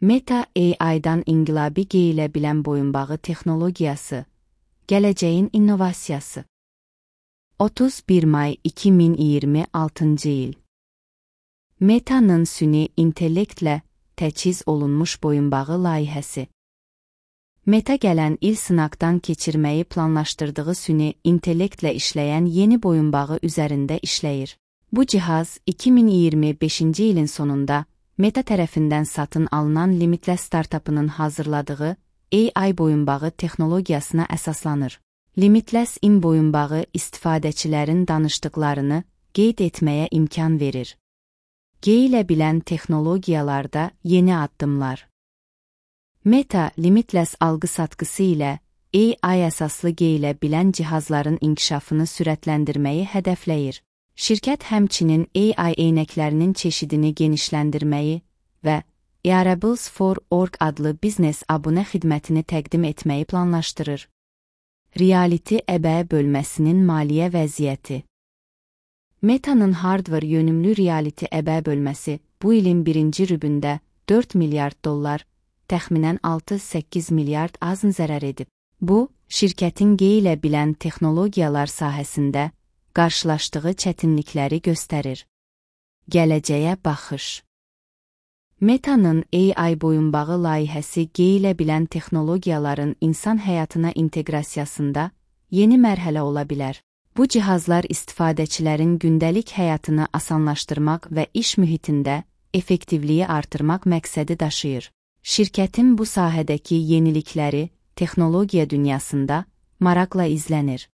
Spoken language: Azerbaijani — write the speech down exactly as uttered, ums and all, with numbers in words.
Meta A I-dan inqilabi geyilə bilən boyunbağı texnologiyası, gələcəyin innovasiyası. otuz bir may iki min iyirmi altıncı il. Meta'nın süni intellektlə təchiz olunmuş boyunbağı layihəsi. Meta gələn il sınaqdan keçirməyi planlaşdırdığı süni intellektlə işləyən yeni boyunbağı üzərində işləyir. Bu cihaz iki min iyirmi beşinci ilin sonunda Meta tərəfindən satın alınan Limitless startapının hazırladığı A I boyunbağı texnologiyasına əsaslanır. Limitless in boyunbağı istifadəçilərin danışdıqlarını qeyd etməyə imkan verir. Geyilə bilən texnologiyalarda yeni addımlar. Meta, Limitless algı-satqısı ilə A I əsaslı geyilə bilən cihazların inkişafını sürətləndirməyi hədəfləyir. Şirkət həmçinin A I eynəklərinin çeşidini genişləndirməyi və Wearables for Org adlı biznes abunə xidmətini təqdim etməyi planlaşdırır. Reality əbəyə bölməsinin maliyyə vəziyyəti. Meta'nın hardware yönümlü reality əbəyə bölməsi bu ilin birinci rübündə dörd milyard dollar, təxminən altı səkkiz milyard azın zərər edib. Bu, şirkətin geyilə bilən texnologiyalar sahəsində qarşılaşdığı çətinlikləri göstərir. Gələcəyə baxış. Meta'nın A I boyunbağı layihəsi geyilə bilən texnologiyaların insan həyatına inteqrasiyasında yeni mərhələ ola bilər. Bu cihazlar istifadəçilərin gündəlik həyatını asanlaşdırmaq və iş mühitində effektivliyi artırmaq məqsədi daşıyır. Şirkətin bu sahədəki yenilikləri texnologiya dünyasında maraqla izlənir.